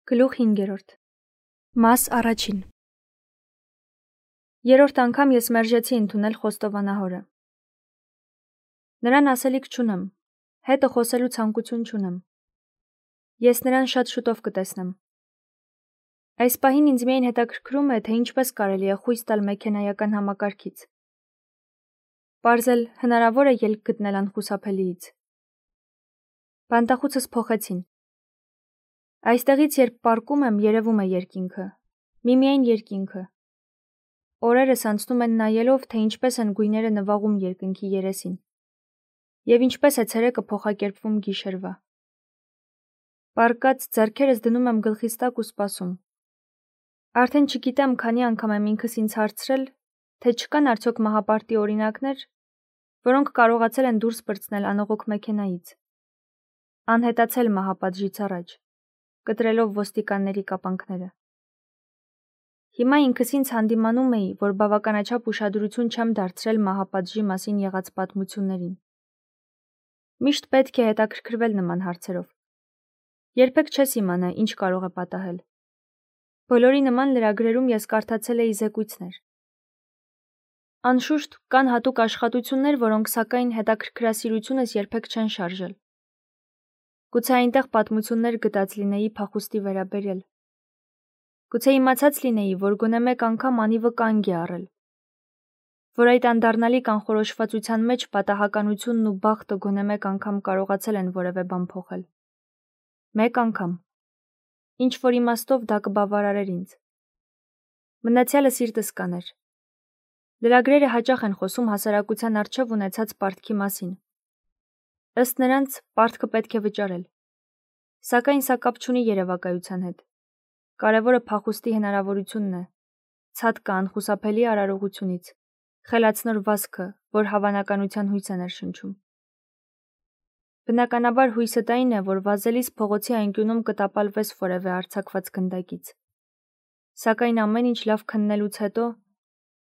Գլուխ 5. Մաս առաջին. Երրորդ անգամ ես մերժեցի ընդունել խոստովանահորը. նրան ասելիք չունեմ, հետը խոսելու ցանկություն չունեմ. ես նրան շատ շուտով կտեսնեմ. այս պահին ինձ միայն հետաքրքրում է, թե ինչպես կարելի է խույս տալ մեքենայական համակարգից. պարզել հնարավոր է ելք գտնել անխուսափելիից. բանտախուցս փոխեցին. Այստեղից երբ պառկում եմ, երևում է երկինքը, միմիայն երկինքը. օրերս անցնում են նայելով, թե ինչպես են գույները նվաղում երկնքի երեսին, և ինչպես է ցերեկը փոխակերպվում գիշերվա. պառկած ձեռքերս դնում եմ գլխիս տակ ու սպասում. արդեն չգիտեմ քանի անգամ եմ ինքս ինձ հարցրել, թե չկան արդյոք մահապարտի օրինակներ, որոնք կարողացել են դուրս պրծնել անողոք մեքենայից, անհետացել մահապատժից առաջ, կտրելով ոստիկանների կապանքները. հիմա ինքս ինձ հանդիմանում էի, որ բավականաչափ ուշադրություն չեմ դարձրել մահապատժի մասին եղած պատմություններին. միշտ պետք է հետաքրքրվել նման հարցերով. երբեք չես իմանա, ինչ կարող է պատահել. բոլորի նման լրագրերում ես կարդացել էի զեկույցներ. անշուշտ կան հատուկ աշխատություններ, որոնք սակայն հետաքրքրասիրությունս երբեք չեն շարժել. Գուցե այնտեղ պատմություններ գտած լինեի փախուստի վերաբերյալ. Գուցե իմացած լինեի, որ գոնե մեկ անգամ անիվը կանգ է առել, որ այդ անդառնալի կանխորոշվածության մեջ պատահականությունն ու բախտը գոնե մեկ անգամ կարողացել են որևէ բան փոխել. Մեկ անգամ. ինչ որ իմաստով դա կբավարարեր ինձ. մնացյալը սիրտս կաներ. լրագրերը հաճախ են խոսում հասարակության առջև ունեցած պարտքի մասին. ըստ նրանց, պարտքը պետք է վճարել. Սակայն սա կապ չունի երևակայության հետ. կարևորը փախուստի հնարավորությունն է, ցատկը անխուսափելի արարողությունից, խելացնոր վազքը, որ հավանականության հույս է ներշնչում. Բնականաբար հույսդ այն է, որ վազելիս փողոցի անկյունում կտապալվես որևէ արձակված գնդակից. Սակայն ամեն ինչ լավ քննելուց հետո,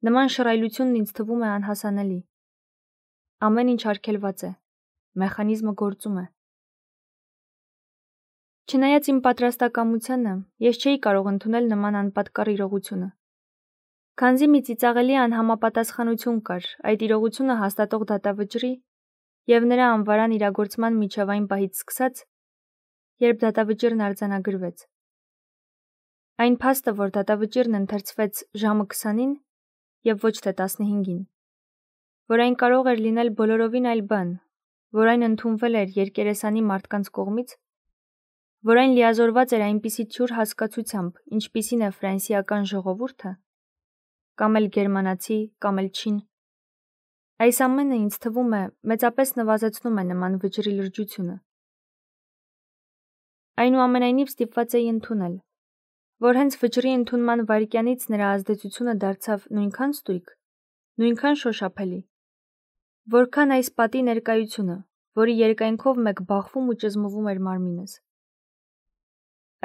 նման շռայլությունն ինձ թվում է անհասանելի. ամեն ինչ արգելված է, մեխանիզմը գործում է. Չնայած իմ պատրաստակամությանը, ես չէի կարող ընդունել նման անպատկառ իրողությունը. Քանզի մի ծիծաղելի անհամապատասխանություն կար այդ իրողությունը հաստատող դատավճռի և նրա անվարան իրագործման միջև այն պահից սկսած, երբ դատավճիռն արձանագրվեց. Այն փաստը, որ դատավճիռն ընթերցվեց ժամը 20-ին և ոչ թե 15-ին, որ այն կարող էր լինել բոլորովին այլ բան, որ այն ընդունվել էր երկերեսանի մարդկանց կողմից, որ այն լիազորված էր այնպիսի թյուր հասկացությամբ, ինչպիսին է ֆրանսիական ժողովուրդը, կամ էլ գերմանացի, կամ էլ չին. այս ամենը ինձ թվում է մեծապես նվազեցնում է նման վճռի լրջությունը. Այնուամենայնիվ ստիպված էի ընդունել, որ հենց վճռի ընդունման վայրկյանից նրա ազդեցությունը դարձավ նույնքան ստույգ, նույնքան շոշափելի, որքան այս պատի ներկայությունը, որի երկայնքով մեկ բախվում ու ճզմվում էր մարմինս.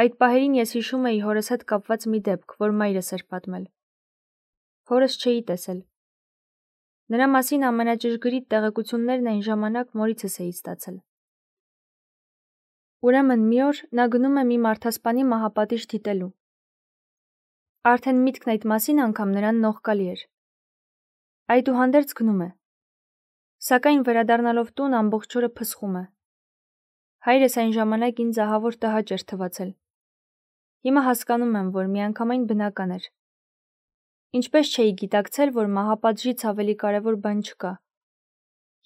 Այդ պահերին ես հիշում էի հորս հետ կապված մի դեպք, որ մայրս էր պատմել. Հորս չէի տեսել. նրա մասին ամենաճշգրիտ տեղեկություններն այն ժամանակ մորիցս էի ստացել. Ուրեմն մի օր նա գնում է մի մարդասպանի մահապատիժ դիտելու. Արդեն միտքն այդ մասին անգամ նրան նողկալի էր. այդուհանդերձ գնում է. Սակայն վերադառնալով տուն ամբողջ օրը փսխում է. հայրս այն ժամանակ ինձ ահավոր տհաճ էր թվացել. Հիմա հասկանում եմ, որ միանգամայն բնական էր. Ինչպես չէի գիտակցել, որ մահապատժից ավելի կարևոր բան չկա,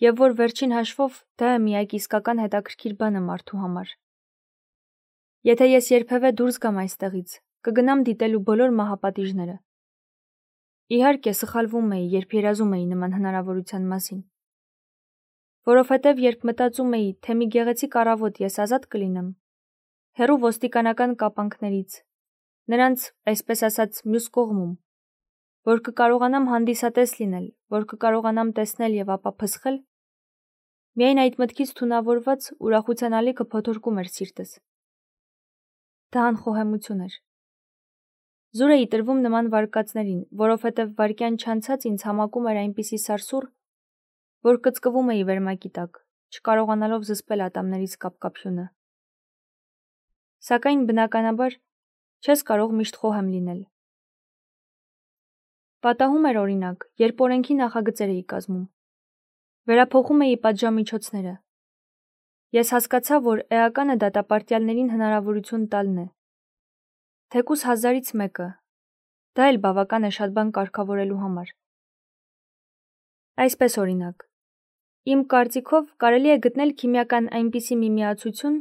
և որ վերջին հաշվով դա է միակ իսկական հետաքրքիր բանը մարդու համար. Եթե ես երբևէ դուրս գամ այստեղից, կգնամ դիտելու բոլոր մահապատիժները. Իհարկե սխալվում էի, երբ երազում էի նման հնարավորության մասին. Որովհետև երբ մտածում էի, թե մի գեղեցիկ առավոտ ես ազատ կլինեմ, հեռու ոստիկանական կապանքներից, նրանց, այսպես ասած, մյուս կողմում, որ կկարողանամ հանդիսատես լինել, որ կկարողանամ տեսնել և ապա փսխել, միայն այդ մտքից թունավորված ուրախության ալիքը փոթորկում էր սիրտս. դա անխոհեմություն էր. զուր էի տրվում նման վարկածներին, որովհետև վայրկյան չանցած ինձ համակում էր այնպիսի սարսուռ, որ կծկվում էի վերմակի տակ, չկարողանալով զսպել ատամներիս կապկապյունը. Սակայն բնականաբար Չես կարող միշտ խոհեմ լինել։ Պատահում էր օրինակ, երբ օրենքի նախագծեր էի կազմում։ Վերափոխում էի պատժամիջոցները։ Ես հասկացա, որ էականը դատապարտյալներին հնարավորություն տալն է։ Թեկուզ 1000-ից մեկը, դա էլ բավական է շատ բան կարգավորելու համար։ Այսպես օրինակ, իմ կարծիքով կարելի է գտնել քիմիական այնպիսի մի միացություն,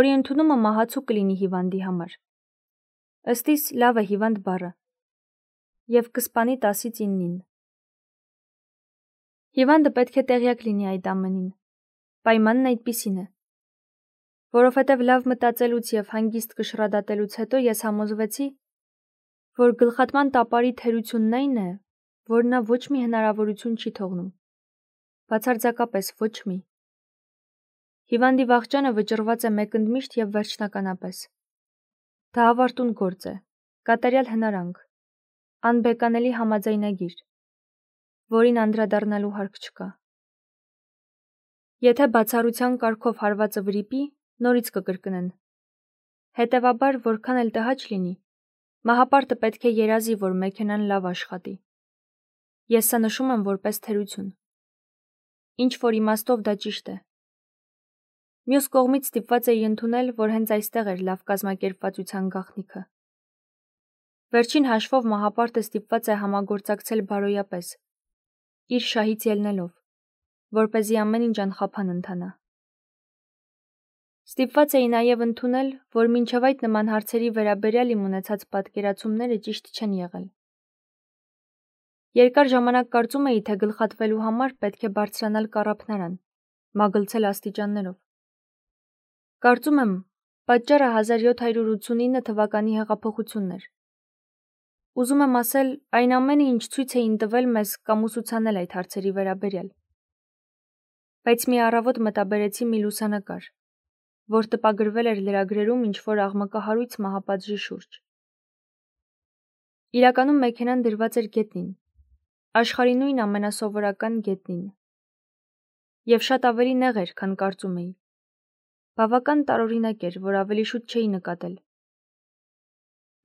որի ընդունումը մահացու կլինի հիվանդի համար։ Ըստ իս լավ է հիվանդ բառը, և կսպանի 10-ից 9-ին։ Հիվանդը պետք է տեղյակ լինի այդ ամենին, պայմանն այդպիսին է։ Որովհետև լավ մտածելուց և հանգիստ կշռադատելուց հետո ես համոզվեցի, որ գլխատման տապարի թերությունն այն է, որ նա ոչ մի հնարավորություն չի թողնում, բացարձակապես ոչ մի։ Հիվանդի վախճանը վճռված է մեկընդմիշտ և վերջնականապես։ Դա ավարտուն գործ է, կատարյալ հնարանք, անբեկանելի համաձայնագիր, որին անդրադառնալու հարկ չկա։ Եթե բացառության կարգով հարվածը վրիպի, նորից կկրկնեն։ Հետևաբար, որքան էլ տհաճ լինի, մահապարտը պետք է երազի, որ մեքենան լավ աշխատի։ Ես սա նշում եմ որպես թերություն։ Ինչ որ իմաստով դա ճիշտ է։ Մյուս կողմից ստիպված էի ընդունել, որ հենց այստեղ էր լավ կազմակերպվածության գաղտնիքը։ Վերջին հաշվով մահապարտը ստիպված է համագործակցել բարոյապես, իր շահից ելնելով, որպեսզի ամեն ինչ անխափան ընթանա։ Ստիպված էի նաև ընդունել, որ մինչև այդ նման հարցերի վերաբերյալ իմ ունեցած պատկերացումները ճիշտ չեն եղել։ Երկար ժամանակ կարծում էի, թե գլխատվելու համար պետք է բարձրանալ կառափնարան, մագլցել աստիճաններով։ Կարծում եմ, պատճառը 1789 թվականի հեղափոխությունն էր։ Ուզում եմ ասել, այն ամենը, ինչ ցույց էին տվել մեզ կամ ուսուցանել այդ հարցերի վերաբերյալ։ Բայց մի առավոտ մտաբերեցի մի լուսանկար, որ տպագրվել էր լրագրերում ինչ-որ աղմկահարույց մահապատժի շուրջ։ Իրականում մեքենան դրված էր գետնին, աշխարհի նույն ամենասովորական գետնին։ Եվ շատ ավելի նեղ էր, քան կարծում էի։ Բավական տարօրինակ էր, որ ավելի շուտ չէի նկատել։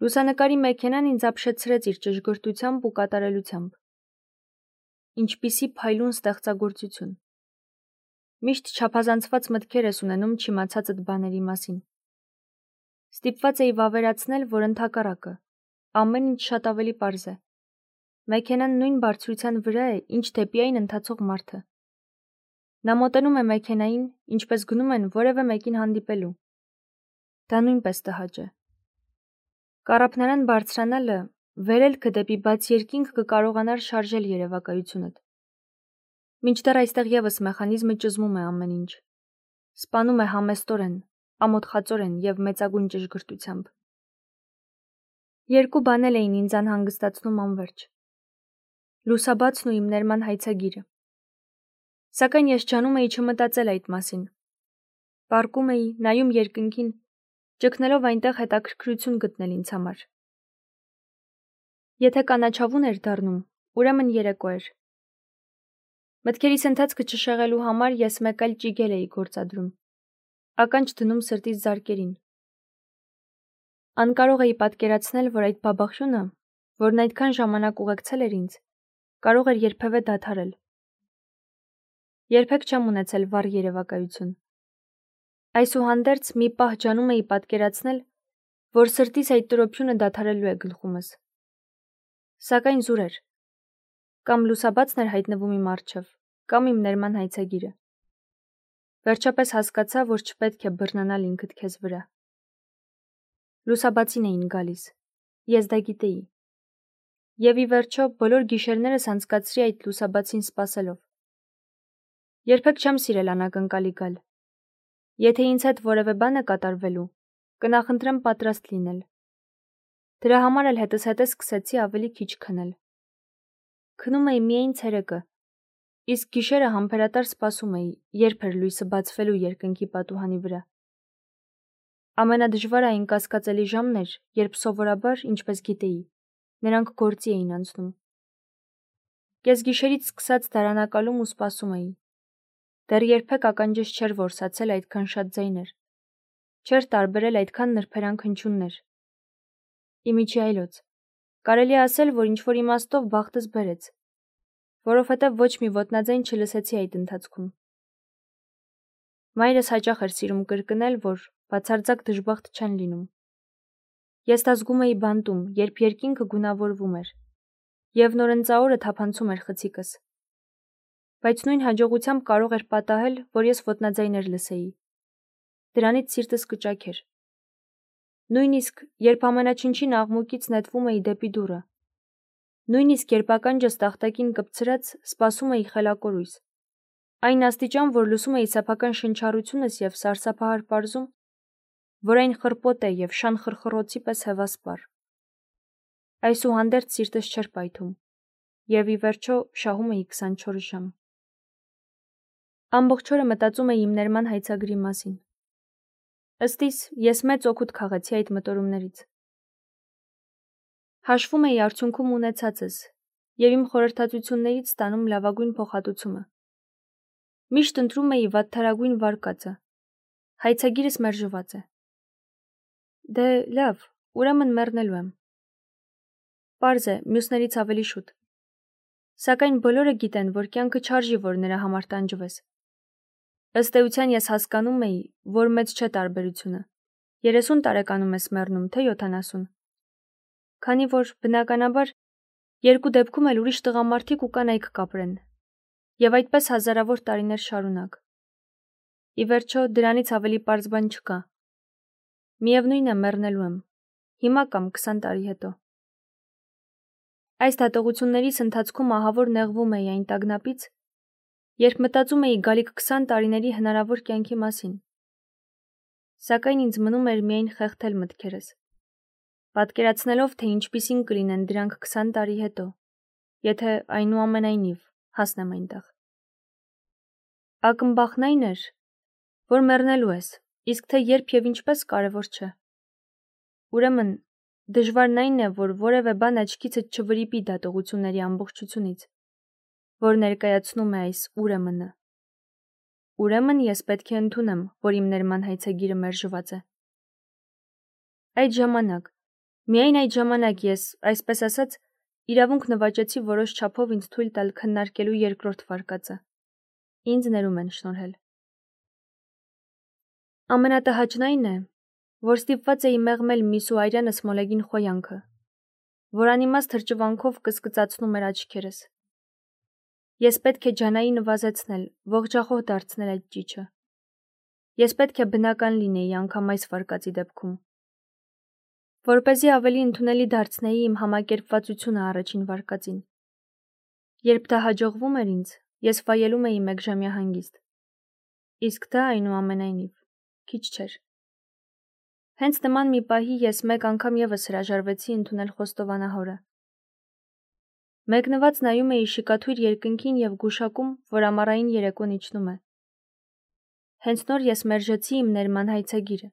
Լուսանկարի մեքենան ինձ ապշեցրեց իր ճշգրտությամբ ու կատարելությամբ։ Ինչպիսի փայլուն ստեղծագործություն։ Միշտ չափազանցված մտքեր ես ունենում չիմացածդ բաների մասին։ Ստիպված էի վավերացնել, որ ընդհակառակը, ամեն ինչ շատ ավելի պարզ է։ Մեքենան նույն բարձրության վրա է, ինչ դեպի այն ընթացող մարդը։ Նա մոտենում է մեքենային, ինչպես գնում են որևէ մեկին հանդիպելու։ Դա նույնպես տհաճ է։ Կառափնարան բարձրանալը, վերելքը դեպի բաց երկինք կկարողանար շարժել երևակայությունդ։ Մինչդեռ այստեղ ևս մեխանիզմը ճզմում է ամեն ինչ։ Սպանում է համեստորեն, ամոթխածորեն և մեծագույն ճշգրտությամբ։ Երկու բան էլ էին ինձ անհանգստացնում անվերջ։ Լուսաբացն ու իմ ներման հայցագիրը։ Սակայն ես ջանում էի չմտածել այդ մասին։ Պառկում էի, նայում երկնքին, ճգնելով այնտեղ հետաքրքրություն գտնել ինձ համար։ Եթե կանաչավուն էր դառնում, ուրեմն երեկո էր։ Մտքերիս ընթացքը չշեղելու համար ես մեկ այլ ճիգել էի գործադրում, ականջ դնում սրտիս զարկերին։ Անկարող էի պատկերացնել, որ այդ բաբախյունը, որն այդքան ժամանակ ուղեկցել էր ինձ, կարող էր երբևէ դադարել։ Երբեք չեմ ունեցել վառ երևակայություն։ Այսուհանդերձ մի պահ ջանում էի պատկերացնել, որ սրտիս այդ տրոփյունը դադարելու է գլխումս։ Սակայն զուր էր։ Կամ լուսաբացն էր հայտնվում իմ առջև, կամ իմ ներման հայցագիրը։ Վերջապես հասկացա, որ չպետք է բռնանալ ինքդ քեզ վրա։ Լուսաբացին էին գալիս։ Ես դա գիտեի։ Եվ ի վերջո բոլոր գիշերներս անցկացրի այդ լուսաբացին սպասելով։ Երբեք չեմ սիրել անակնկալի գալ։ Եթե ինձ հետ որևէ բան է կատարվելու, կնախընտրեմ պատրաստ լինել։ Դրա համար էլ հետզհետե սկսեցի ավելի քիչ քնել։ Քնում էի միայն ցերեկը, իսկ գիշերը համբերատար սպասում էի, երբ էր լույսը բացվելու երկնքի պատուհանի վրա։ Ամենադժվարը այն կասկածելի ժամն էր, երբ սովորաբար, ինչպես գիտեի, նրանք գործի էին անցնում։ Կեսգիշերից սկսած դարանակալում ու սպասում էի։ Դեռ երբեք ականջս չէր որսացել այդքան շատ ձայներ, չէր տարբերել այդքան նրբերանգ հնչյուններ, Իմիջի այլոց։ Կարելի է ասել, որ ինչ-որ իմաստով բախտս բերեց, որովհետև ոչ մի ոտնաձայն չլսեցի այդ ընթացքում։ Մայրս հաճախ էր սիրում կրկնել, որ բացարձակ դժբախտ չեն լինում։ Ես դա զգում էի բանտում, երբ երկինքը գունավորվում էր, և նորընծաորը թափանցում էր խցիկս։ Բայց նույն հաջողությամբ կարող էր պատահել, որ ես ոտնաձայներ լսեի։ Դրանից սիրտս կճաքեր։ Նույնիսկ երբ ամենաչնչին աղմուկից նետվում էի դեպի դուռը, նույնիսկ երբ ականջս տախտակին կպցրած սպասում էի խելակորույս, այն աստիճան, որ լսում էի սեփական շնչառությունս և սարսափահար պարզում, որ այն խռպոտ է և շան խրխռոցի պես հևասպառ։ Այսուհանդերձ սիրտս չէր պայթում, և ի վերջո շահում էի 24 ժամ։ Ամբողջ օրը մտածում էի իմ ներման հայցագրի մասին։ Ըստ իս, ես մեծ օգուտ քաղեցի այդ մտորումներից։ Հաշվում էի արդյունքում ունեցածս և իմ խորհրդածություններից ստանում լավագույն փոխհատուցումը։ Միշտ ընտրում էի վատթարագույն վարկածը։ Հայցագիրս մերժված է։ Դե լավ, ուրեմն մեռնելու եմ։ Պարզ է, մյուսներից ավելի շուտ։ Սակայն բոլորը գիտեն, որ կյանքը չարժի, որ նրա համար տանջվես։ Ըստ էության ես հասկանում էի, որ մեծ չէ տարբերությունը։ 30 տարեկանում ես մեռնում, թե 70։ Քանի որ, բնականաբար, երկու դեպքում էլ ուրիշ տղամարդիկ ու կանայք կապրեն, և այդպես հազարավոր տարիներ շարունակ։ Ի վերջո, դրանից ավելի պարզ բան չկա։ Միևնույն է, մեռնելու եմ, հիմա կամ 20 տարի հետո։ Այս դատողություններիս ընթացքում ահավոր նեղվում էի այն տագնապից, երբ մտածում էի գալիք 20 տարիների հնարավոր կյանքի մասին։ Սակայն ինձ մնում էր միայն խեղդել մտքերս, պատկերացնելով, թե ինչպիսին կլինեն դրանք 20 տարի հետո, եթե այնուամենայնիվ հասնեմ այնտեղ։ Ակնբախն այն էր, որ մեռնելու ես, իսկ թե երբ և ինչպես կարևոր չէ։ Ուրեմն, դժվարն այն է, որ որևէ բան աչքիցդ չվրիպի դատողությունների ամբողջությունից, որ ներկայացնում է այս ուրեմն-ը։ Ուրեմն ես պետք է ընդունեմ, որ իմ ներման հայցագիրը մերժված է։ Այդ ժամանակ, միայն այդ ժամանակ ես, այսպես ասած, իրավունք նվաճեցի որոշ չափով ինձ թույլ տալ քննարկելու երկրորդ վարկածը։ Ինձ ներում են շնորհել։ Ամենատհաճն այն է, որ ստիպված էի մեղմել Միսու Այրյանս մոլեգին խոյանքը, որ անիմաստ հրճվանքով կսկծացնում էր աչքերս։ Ես պետք է ջանայի նվազեցնել, ողջախոհ դարձնել այդ ճիչը։ Ես պետք է բնական լինեի անգամ այս վարկածի դեպքում, որպեսզի ավելի ընդունելի դարձնեի իմ համակերպվածությունը առաջին վարկածին։ Երբ դա հաջողվում էր ինձ, ես վայելում էի մեկժամյա հանգիստ։ Իսկ դա, այնուամենայնիվ, քիչ չէր։ Հենց նման մի պահի ես մեկ անգամ ևս հրաժարվեցի ընդունել խոստովանահորը։ Մեկնված նայում էի շիկաթույր երկնքին և գուշակում, որ ամառային երեկոն իջնում է։ Հենց նոր ես մերժեցի իմ ներման հայցագիրը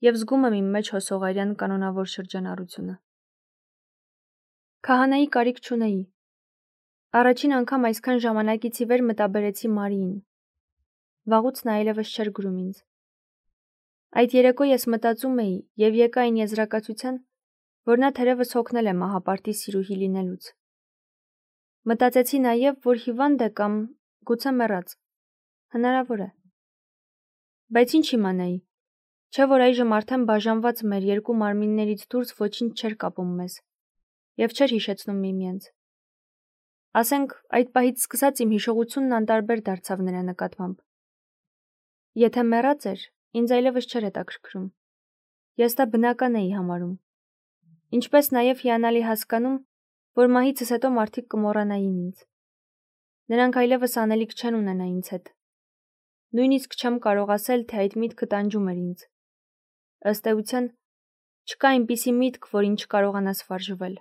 և զգում եմ իմ մեջ հոսողարյան կանոնավոր շրջանառությունը։ Քահանայի կարիք չունեի։ Առաջին անգամ այսքան ժամանակից ի վեր մտաբերեցի Մարիին։ Վաղուց նա այլևս չէր գրում ինձ։ Այդ երեկո ես մտածում էի և եկա այն եզրակացության, որ նա թերևս հոգնել է մահապարտի սիրուհի լինելուց։ Մտածեցի նաև, որ հիվանդ է կամ գուցե մեռած։ Հնարավոր է։ Բայց ինչ իմանայի, չէ՞ որ այժմ արդեն բաժանված մեր երկու մարմիններից դուրս ոչինչ չէր կապում մեզ և չէր հիշեցնում միմյանց։ Ասենք, այդ պահից սկսած իմ հիշողությունն անտարբեր դարձավ նրա նկատմամբ։ Եթե մեռած էր, ինձ այլևս չէր հետաքրքրում։ Ես դա բնական էի համարում։ Ինչպես նաև հիանալի հասկանում, որ մահիցս հետո մարդիկ կմոռանային ինձ։ Նրանք այլևս անելիք չեն ունենա ինձ հետ։ Նույնիսկ չեմ կարող ասել, թե այդ միտքը տանջում էր ինձ։ Ըստ էության, չկա այնպիսի միտք, որին չկարողանաս վարժվել։